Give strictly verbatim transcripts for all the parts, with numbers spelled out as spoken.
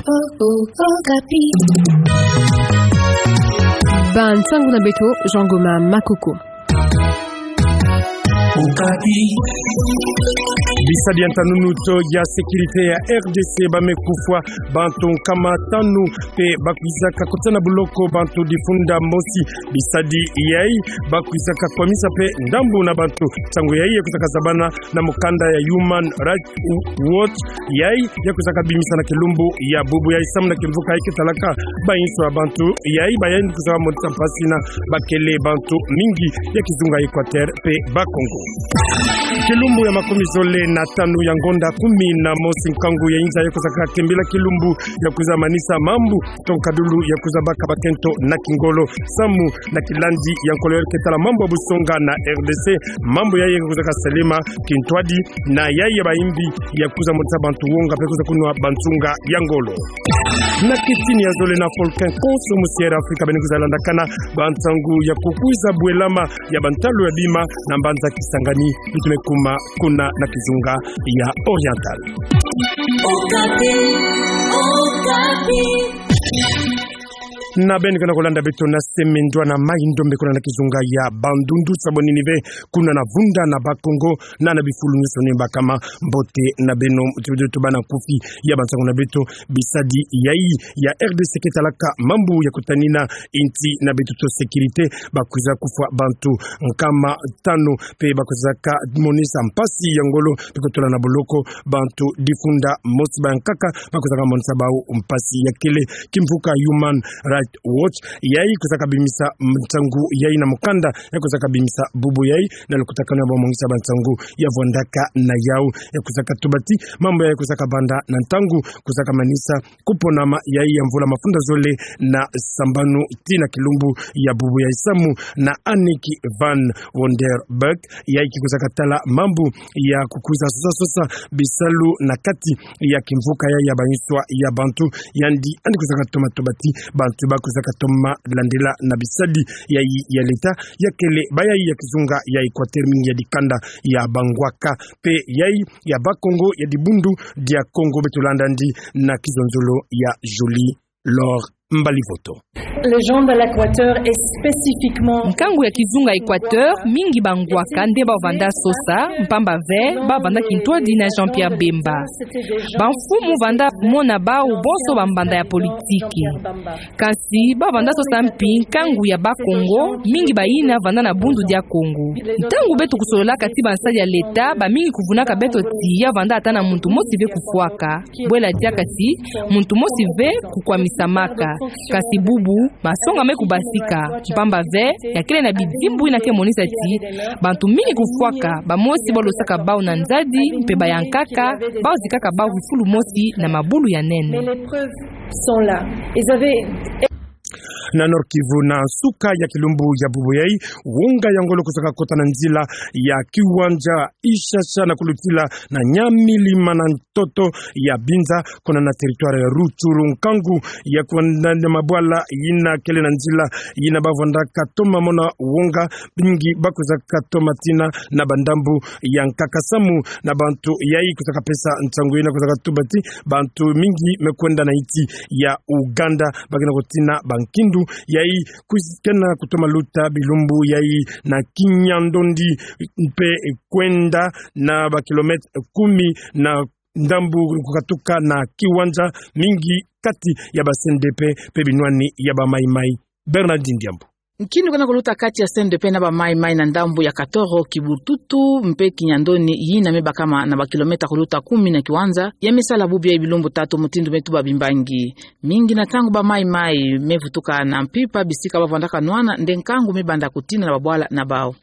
Okapi. Ba nsangu na beto, Jean Goma Makoko. Okapi. Bisadi ya ntanunu to ya sécurité ya R D C bamekufwa bantu nkama tanu, mpe bakwizaka kota na boloko bantu difunda mosi. Bisadi yai bakwizaka kwamisa mpe ndambu na bantu. Nsangu yai yakwizaka zabana na mukanda ya Human Rights Watch, yai yakwizaka bimisa na kilumbu ya bubu yai samu na kimvuka yai ke talaka bayinso ya bantu yai bayai kwizaka monisa mpasi na bakele bantu mingi ya kizunga Equateur mpe Bas-Congo. Kilumbu ya makumi zole na tanu ya ngonda kumi na mosi, nkangu ya inza yakwizaka kembila kilumbu ya kwiza manisa mambu to nkadulu ya kwiza baka bakento na kingolo samu na kilandi ya nkolo yai ke tala mambu ya busonga na R D C. Mambu yai yakwizaka salema kintwadi na yai ya bayimbi ya kwiza monisa bantu wonga mpe kwiza kunwa bansunga ya ngolo. Na kitini ya zole na volcan Konso, musi ya Afrika bene kwiza landakana bansangu ya kukwiza bwelama ya bantalu ya bima na mbanza Kisangani, beto me kuma kuna na kizunga ya Oriental. Okapi, Okapi. Na beno ke na kulanda beto na semi ndwa na mai ndombe kuna na kizunga ya Bandundu, sabonini ve kuna na vunda na Bas-Congo na na bifulu nyonso ni bakama. Mbote na beno, tubana nkufi ya bansangu na beto. Bisadi yai ya R D C ke talaka mambu ya kutanina insi na beto to sécurité, bakwiza kufwa bantu nkama tanu, mpe bakwizaka monisa mpasi ya ngolo mpe kotula na boloko bantu difunda mosi. Bankaka bakwizaka monisa bau mpasi ya kele. Kimvuka Human Rights Watch yai kwizaka bimisa nsangu yai na mukanda yakwizaka bimisa bubu yai na lukutakanu ya bamongisi ya bansangu ya vwandaka na yau. Yakwizaka tubati mambu yai kwizaka banda na ntangu kwizaka manisa kuponama yai ya mvula mafunda zole na sambanu tii na kilumbu ya bubu yai samu na Annick van Wonderberg, yai ke kwizaka tala mambu ya kukwiza sosa sosa bisalu na kati ya kimvuka yai ya bayinswa ya bantu. Yandi, yandi kwizaka toma tubati bantu bakwizaka toma landila na bisadi yai ya leta ya kele bayai ya kizunga ya Equateur, mingi ya dikanda ya Bangwaka mpe yai ya Bas-Congo ya dibundu dia Congo. Beto landa yandi na kizonzolo ya Jolie Laure Mbalivoto. Les gens de l'Équateur et spécifiquement... Nkangu ya kizunga Equateur, mingi Bangwaka nde bau vanda sosa, mpamba ve bau vanda kintwadi na Jean-Pierre Bemba. Bamfumu vanda mona bau bonso bambanda ya politiki. Kasi bau vanda sosa mpi nkangu ya Bas-Congo, mingi bayina vanda na Bundu dia Congo. Ntangu beto kusololaka ti bansadi ya leta, bamingi kuvunaka beto ti ya vanda ata na muntu mosi ve kufwaka. Bwela diaka ti muntu mosi ve kukwamisamaka. Kasi bubu, masonga me kubasika. Mpamba ve, ya kele na bidimbu yina ke monisa ti bantu mingi kufwaka, bamosi bau losaka bau na nzadi, mpe bayankaka, bau zikaka bau fifulu mosi na mabulu ya nene. Mais les preuves sont là. Ils avaient... Na Nord-Kivu, na nsuka ya kilumbu ya bubu yai, wonga ya ngolo kwizaka kota na nzila ya Kiwanja Ishasha na kulutila na Nyamilima na ntoto ya Binza, kuna na territoire ya Rutshuru. Nkangu ya kwenda na mabwala yina kele na nzila yina bau vandaka toma mona wonga, mingi bakwizaka toma tina na bandambu ya nkaka samu na bantu yai kwizaka pesa nsangu yina kwizaka tubati bantu mingi me kwenda na insi ya Uganda, ba ke na kutina bankindu yai kwiz-, ke na kutoma luta bilumbu yai na Kinyandoni mpe kwenda na bakilomètre kumi na ndambu kukatuka na Kiwanja, mingi kati ya ba C N D P mpe binwani ya ba Mai Mai. Bernardine Diambu. Nkindu ke na kuluta kati ya C N D P na ba Mai Mai na ndambu ya Katoro, Kibututu mpe Kinyandoni, yina me bakama na bakilomètre kuluta kumi na Kiwanja, ya me sala bubu yai bilumbu tatu mutindu me tuba bimbangi. Mingi na ntangu ba Mai Mai me vutuka na mpimpa bisika bau vandaka nwana, nde nkangu me banda kutina na babwala na bau.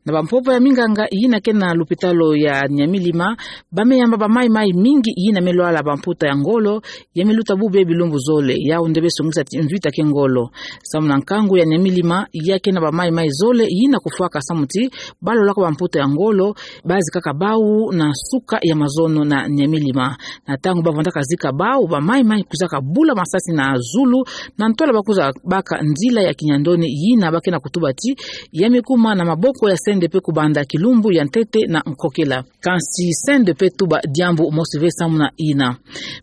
Na bampopo ya minganga yina ke na lupitalu ya Nyamilima, ba me yamba ba Mai Mai mingi yina me lwala bamputa ya ngolo, ya me luta bubu yai bilumbu zole, yau nde be songisa ti mvita ke ngolo. Samu na nkangu ya Nyamilima, Ya ke na bamaimai zole yina kufwaka samu ti balolaka bamputa ya ngolo, bazikaka bau na suka ya mazono na nyamilima. Na ntangu bavandaka zika bau, bamaimai kwizaka bula masasi na zulu, na ntwala bakwiza baka nzila ya kinyandoni yina ba ke na kutuba ti ya me kuma na maboko ya C N D P kubanda kilumbu ya ntete na nkokela. Kansi C N D P etuba diambu mosi ve samu na yina.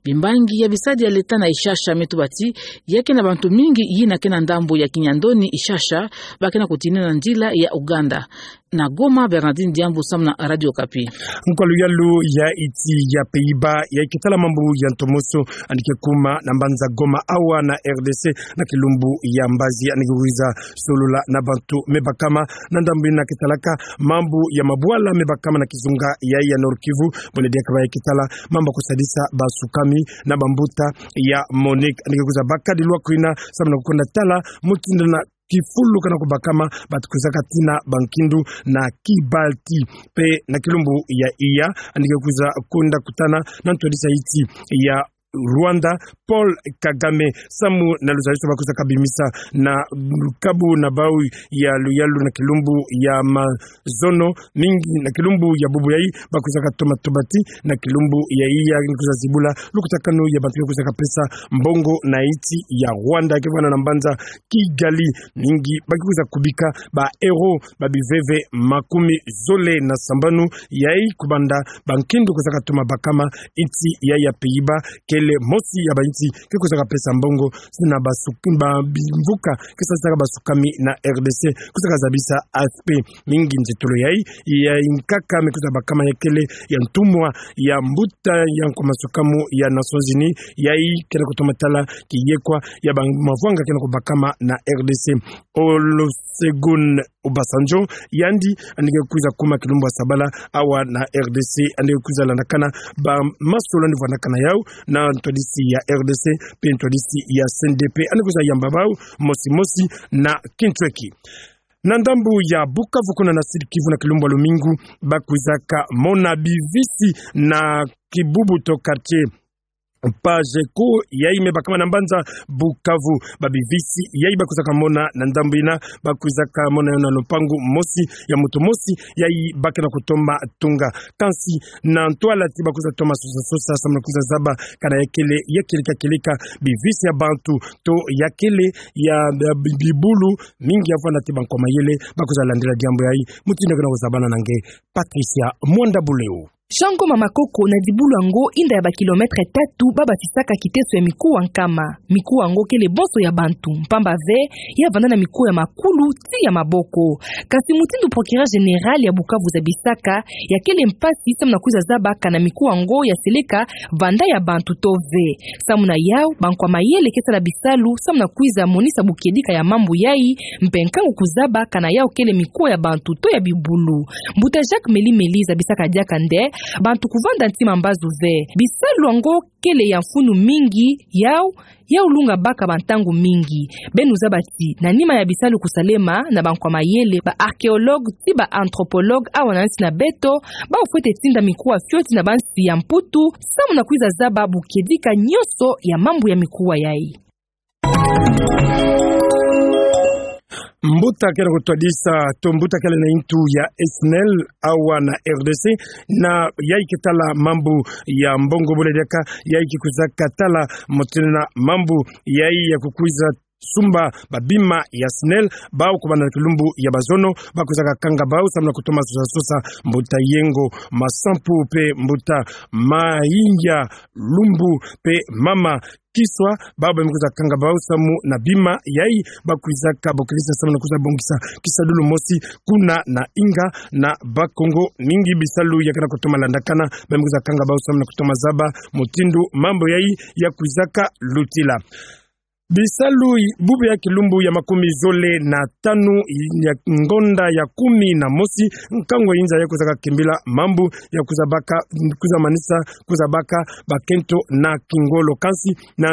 Bimbangi ya bisadi ya leta na Ishasha me tuba ti ya ke na bantu mingi yina ke na ndambu ya kinyandoni Ishasha, ba ke na kutinina nzila ya Uganda. Na Goma, Bernardine Diambu samu na Radio Okapi. Nkwa luyalu ya iti ya Pays-Bas, ya ke tala mambu ya ntomoso, yandi ke kuma na mbanza Goma awa na R D C, na kilumbu ya mbazi, yandi ke kwiza solola na bantu me bakama na ndambu yina ke talaka mambu ya mabwala me bakama na kizunga yayi ya Nord-Kivu, buna diaka ba ya ke tala mambu ya kusadisa basukami na bambuta ya MONUC. Yandi ke kwiza baka dilwa kwina samu na kukwenda tala mutindu na kifulu kana kubakama, bantu kwizaka tina bankindu na Kibati. Pe na kilumbu ya iya, yandi ke kwiza kwenda kutana na ntwadisi ya iti ya Rwanda, Paul Kagame, samu na luzaliso ba kwizaka bimisa na lukabu na bau ya luyalu na kilumbu ya mazono, mingi na kilumbu ya bubu yayi, ba kwizaka toma tobati na kilumbu ya iya, yandi kwiza zibula lukutakanu ya bantu ke kwizaka pesa mbongo na iti ya Rwanda, ke vwanda na mbanza Kigali. Mingi ba ke kwiza kubika ba euro ba biveve makumi zole na sambanu yayi kubanda bankindu kwizaka toma bakama. Iti yayi ya Pays-Bas kele mosi ya bainsi ke kwizaka pesa mbongo sina basu-, ba bimvuka ke sadisaka basukami na R D C, kwizaka zabisa A F P. Mingi nzitulu yayi ya nkaka me kwiza bakama ya kele ya ntumwa ya mbuta ya nkwa masukamu ya Nations Unies, yayi ke na kutoma tala kiyekwa ya bamavwanga ke na kubakama na R D C. Olusegun Obasanjo, yandi, yandi ke kwiza kuma kilumbu ya sabala awa na R D C, yandi ke kwiza landakana bamasolo yandi vwandakana yau na ntwadisi ya R D C pe ntwadisi ya C N D P, yandi kwiza yamba bau mosi mosi na kintweki. Na ndambu ya Bukavu kuna na Sud-Kivu na kilumbu ya lumingu, ba kwizaka mona bivisi na kibubu to quartier Pageco, yayi me bakama na mbanza Bukavu. Ba bivisi yayi ba kwizaka mona na ndambu yina, ba kwizaka mona yo na lupangu mosi ya muntu mosi, yayi ba ke na kutoma tunga. Kansi na ntwala ti ba kwiza toma sosa sosa samu na kwiza zaba kana ya kele ya kieleka kieleka bivisi ya bantu to ya kele ya, ya bi-, bibulu, mingi ya vwanda ti bankwa mayele ba kwiza landila diambu yayi. Mutindu ke na kuzabana na nge, Patricia Mwanda Buleo. Shango ma makoko na dibulu yango inda ya ba kilomètre tatu ba bafisaka kiteso ya mikuwa nkama. Mikuwa yango kele bonso ya bantu, mpamba ve ya vanda na mikuwa ya makulu ti ya maboko. Kasi mutindu procureur général ya Bukavu zabisaka, ya kele mpasi samu na kwiza zaba kana mikuwa yango ya seleka vanda ya bantu to ve. Samu na yau, bankwa mayele ke sala bisalu samu na kwiza monisa bukiedika ya mambu yayi, mpe nkangu kuzaba kana yau kele mikuwa ya bantu to ya bibulu. Mbuta Jacques Meli Meli zabisaka diaka nde bantu kuvanda ntima mbazu ve. Bisalu yango kele ya mfunu mingi, yau, yau lunga baka bantangu mingi. Beno zaba ti na nima ya bisalu kusalema na bankwa mayele, ba archéologue ti ba anthropologue awa na nsi na beto, bau fwete tinda mikuwa fioti na bansi ya Mputu samu na kwiza zaba bukiedika nyonso ya mambu ya mikuwa yayi. Mbuta ke na kutwadisa, to mbuta kele na intu ya SNEL awa na RDC, na yayi ke tala mambu ya mbongo bole diaka, yayi ke kwizaka tala mutindu na mambu yayi ya kukwiza sumba babima ya SNEL, bau kubanda na kilumbu ya bazono, ba kwizaka kanga bau samu na kutoma sosa sosa, mbuta Yengo Masampu pe mbuta Mayinga Lumbu pe mama Kiswa, bau ba me kwiza kanga bau samu na bima yayi, ba kwizaka bokilisa samu na kwiza bongisa kisadulu mosi kuna na inga na Bakongo. Mingi bisalu ya ke na kutoma landakana, ba me kwiza kanga bau samu na kutoma zaba mutindu mambu yayi ya kwizaka lutila. Bisalu bubu ya kilumbu ya makumi zole na tanu ya ngonda ya kumi na mosi, nkangu ya inza ya kwizaka kimbila mambu ya kwiza baka, kwiza manisa, kwiza baka bakento na kingolo. Kansi na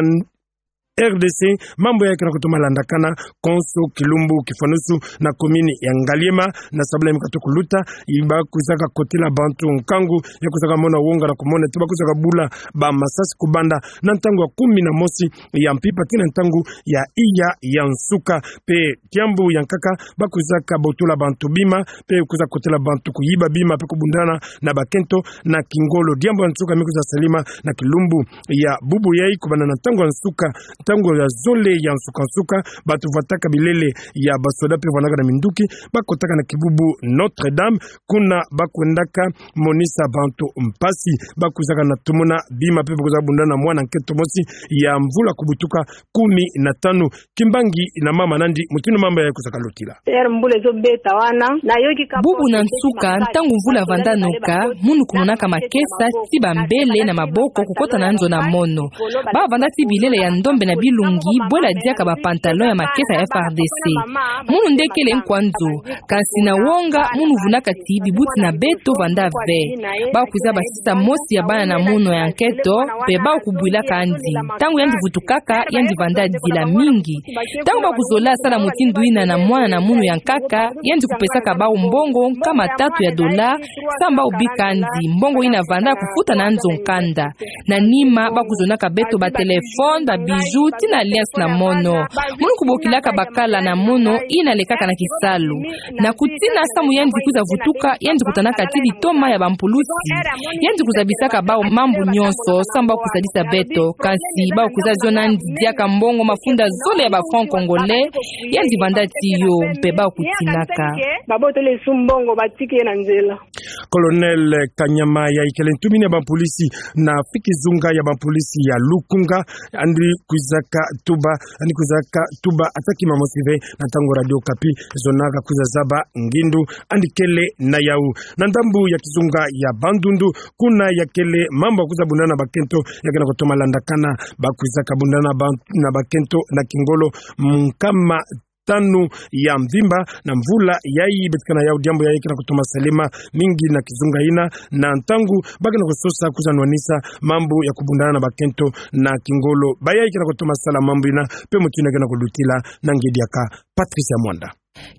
R D C, mambu yayi ke na kutoma landakana konso kilumbu kifwanusu na commune ya Ngaliema, na sabala yimika tu kuluta, yi ba kwizaka kotila bantu nkangu ya kwizaka mona wonga na kumona ti ba kwizaka bula bamasasi kubanda na ntangu ya kumi na mosi ya mpimpa tii na ntangu ya iya ya nsuka. Mpe diambu ya nkaka, ba kwizaka botola bantu bima, mpe kwiza kotela bantu kuyiba bima, mpe kubundana na bakento na kingolo. Diambu ya nsuka mi kwiza salama na kilumbu ya bubu yayi, kubanda na ntangu ya nsuka, ntangu ya zole ya nsuka-nsuka, bantu vwataka bilele ya basoda mpe vwandaka na minduki, ba kotaka na kibubu Notre-Dame, kuna ba kwendaka monisa bantu mpasi. Ba kwizaka na tomona bima mpe ba kwiza bundana na mwana nkento mosi ya mvula kubutuka kumi na tanu. Kimbangi na mama nandi mutindu mambu yayi kwizaka lutila. Ere mvula ezo beta wana, nayoki ka bubu na nsuka, ntangu mvula vanda noka, munu kumonaka makesa ti bambele na maboko kukota na nzo na mono. Ba vanda ti bilele ya ndombe na bilongi, bwela diaka ba pantalon ya makesa ya F R D C. Munu nde kele nkwa nzo, kasi na wonga, munu vunaka ti bibuti na beto vanda ve. Ba kwiza basisa mosi ya bana na mono ya nkento, mpe ba kubwilaka yandi. Ntangu yandi vutukaka, yandi vanda dila mingi. Ntangu ba kuzola sala mutindu yina na mwana na munu ya nkaka, yandi kupesaka bau mbongo nkama tatu ya dola, samu ba bika yandi, mbongo yina vanda kufuta na nzo nkanda. Na nima, ba kuzonaka beto ba téléphone, ba bijoux, tii na alliance na mono. Munu kubokilaka bakala na mono yina lekaka na kisalu. Na kutina samu yandi kwiza vutuka, yandi kutanaka ti litoma ya bampulusi. Yandi kwiza bisaka bau mambu nyonso, samu ba kusadisa beto. Kasi ba kwiza ziona yandi diaka mbongo mafunda zole ya ba francs congolais, yandi vanda ti yo, mpe ba kutinaka. Babotele esu mbongo, batiki ye na nzela. Colonel Kanyama, yayi kele ntumini ya bampolisi na fi kizunga ya bampolisi ya Lukunga, yandi kwizaka tuba, yandi kwizaka tuba ata kima mosi ve na ntangu Radio Okapi zonaka kwiza zaba ngindu yandi kele na yawu. Na ndambu ya kizunga ya Bandundu, kuna ya kele mambu ya kwiza bundana na bakento ya ke na kutoma landakana, ba kwizaka bundana na ba-, na bakento na kingolo nkama tanu ya mvimba na mvula yayi. Beto ke na yawu, diambu yayi ke na kutoma salama mingi na kizunga yina, na ntangu ba ke na kusosa kwiza nwanisa mambu ya kubundana na bakento na kingolo. Bayayi ke na kutoma sala mambu yina, mpe mutindu ke na kulutila na ngedi yaka Patricia Mwanda.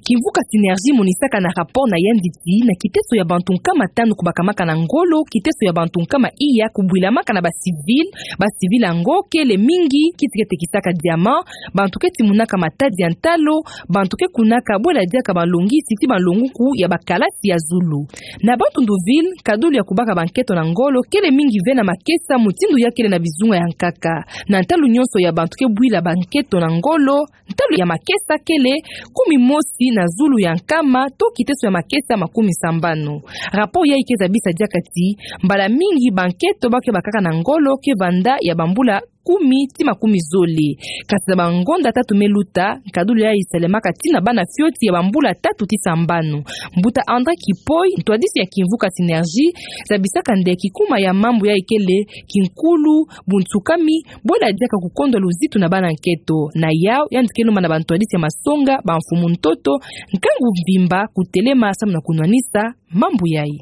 Kimvuka Synergie monisaka na rapport na yandi ti na kiteso ya bantu nkama tanu kubakamaka na ngolo, kiteso ya bantu nkama iya kubwilamaka na ba civil, ba civil yango kele mingi, kiti ke tekisaka diamant, bantu ke timunaka matadi ya ntalo, bantu ke kunaka bwela diaka balongisi ti balonguku ya bakalasi ya zulu. Na Bandundu ville, nkadulu ya kubaka bankento na ngolo kele mingi ve na makesa mutindu ya kele na bizunga ya nkaka. Na ntalu nyonso ya bantu ke bwila bankento na ngolo, ntalu ya makesa kele kumi mosi na zulu ya nkama, to kiteso ya makesa makumi sambanu. Rapport yayi ke zabisa diaka ti mbala mingi bankento ba ke bakaka na ngolo ke vanda ya bambula kumi ti makumi zole. Kasi na bangonda tatu me luta, nkadulu yayi salemaka ti na bana fioti ya bambula tatu ti sambanu. Mbuta André Kipoy, ntwadisi ya kimvuka Synergie, zabisaka nde kikuma ya mambu yayi kele kinkulu, buntsukami, bwela diaka kukondwa luzitu na bana nkento. Na yawu, yandi ke lomba na bantwadisi ya masonga, bamfumu ntoto, nkangu mvimba kutelema samu na kunwanisa mambu yayi.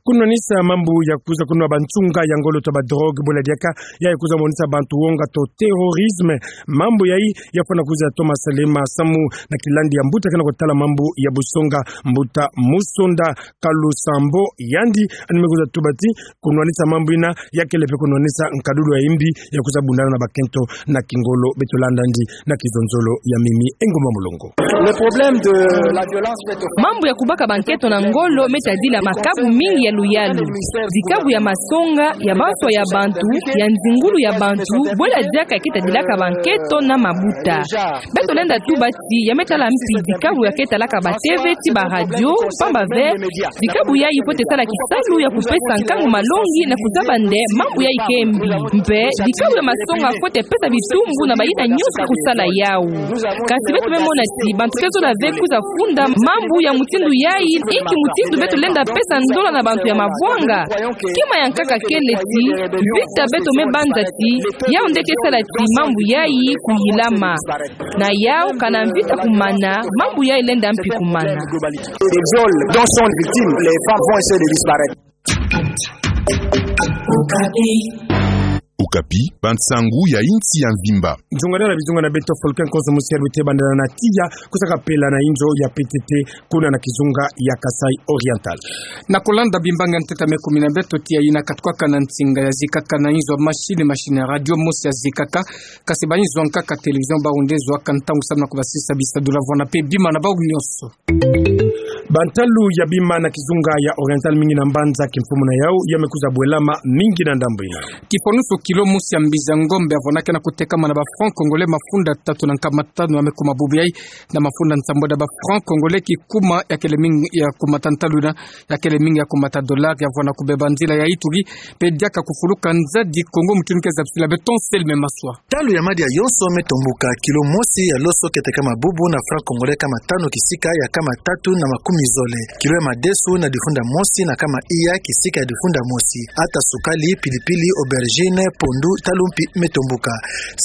Kunwanisa mambu ya kwiza kunwa bansunga ya ngolo to ba drogue, bwela diaka yayi kwiza monisa bantu wonga to terrorisme. Mambu yayi ya fwana kwiza toma salama samu na kilandi ya mbuta ke na kutala mambu ya busonga, mbuta Musonda Kalusambo, yandi yandi me kwiza tuba ti kunwanisa mambu yina ya kele mpe kunwanisa nkadulu ya yimbi ya kwiza bundana na bakento na kingolo. Beto landa yandi na kizonzolo ya mimi Engumba Mulongo. Le problème de la violence faite aux femmes. Mambu ya kubaka bankento na ngolo me tadila makabu mingi ya luyalu. Dikabu ya masonga, ya banswa ya bantu, ya nzingulu ya bantu, bwela diaka ya ke tadilaka bankento na mabuta. Beto lenda tuba ti ya me tala mpi dikabu ya ke talaka ba TV ti ba radio, pamba ve dikabu yayi fwete sala kisalu ya kupesa nkangu malongi na kuzaba nde mambu yayi ke mbi. Mpe dikabu ya masonga fwete pesa bitumbu na bayina nyonso ke kusala yawu. Kasi beto me mona ti bantu ke zola ve kwiza funda mambu ya mutindu yayi, inki mutindu beto lenda pesa ndola na bantu ya mavwanga? Kima ya nkaka kele ti vita beto me banza ti yawu nde ke sala ti mambu yayi kuyilama. Na yawu, kana mvita kumana, mambu yayi lenda mpi kumana. Des viols dont sont victimes les femmes vont essayer de disparaître. Okapi. Okapi, bansangu ya insi ya mvimba. Nzunga na bizunga na beto, Fulcon Kozo Musier bite bandela na tiya, kusaka pela na inzo ya P T T, kuna na kizunga ya Kasaï Oriental. Na kolanda bimbangi ya ntete ya me kumi na beto, tiya yina katukaka na nsinga ya zikaka na inzo machine, machine ya radio mosi ya zikaka, kasi ba inzo nkaka télévision ba rundezwaka ntangu samu na kubasisa bisadula vwena pe bima na bau nyonso. Bantalu ya bima na kizunga ya Oriental mingi na mbanza kimfumu na yau, ya me kwiza bwelama mingi na ndambu yina. Kifonusu kilo mosi ya mbizi ya ngombe ya vwena ke na kutekama na ba francs congolais mafunda tatu na nkama tanu ya me kuma bubu yai, na mafunda nsambweda ba francs congolais kikuma ya kele mingi ya kumata ntalu yina, ya kele mingi ya kumata dollar ya vwena kubeba nzila ya Ituri, pe diaka kufuluka nzadi Kongo. Mutindu ke zabisila beto, Anselme Maswa. Ntalu ya madia yonso me tombuka, kilo mosi ya loso ke tekama bubu na francs congolais kama tanu kisika ya kama tatu na makumi zole. Kilo ya madesu na difunda mosi na kama iya kisika ya difunda mosi. Ata sukali, pilipili, aubergine, pondu, ntalu mpi me tombuka.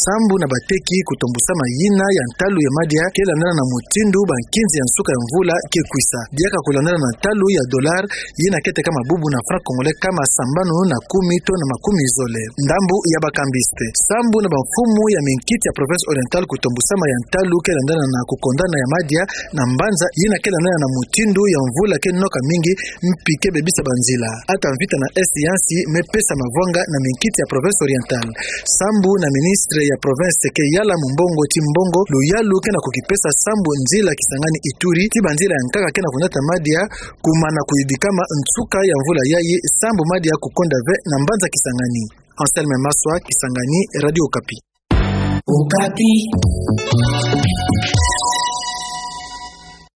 Sambu na bateki, kutombusama yina ya ntalu ya madia ke landana na mutindu bankinzi ya nsuka ya mvula ke kwisa. Diaka kulandana na ntalu ya dollar, yina ke tekama bubu na francs congolais kama sambanu na kumi to na makumi zole. Ndambu ya bakambiste. Sambu na bamfumu ya minkiti ya province Oriental, kutombusama ya ntalu ke landana na kukondana ya madia na mbanza, yina ke landana na mutindu ya mvula ke noka mingi, mpi ke bebisa banzila. Ata mvita na Est ya nsi me pesa mavwanga na minkiti ya province Oriental. Sambu na ministre ya province ke yala mu mbongo ti mbongo, luyalu ke na kukipesa sambu nzila Kisangani Ituri, ti banzila ya nkaka ke na kunata madia, kumana kuyidikama nsuka ya mvula yayi, sambu madia kukonda ve na mbanza Kisangani. Anselme Maswa, Kisangani, Radio Okapi. Okapi.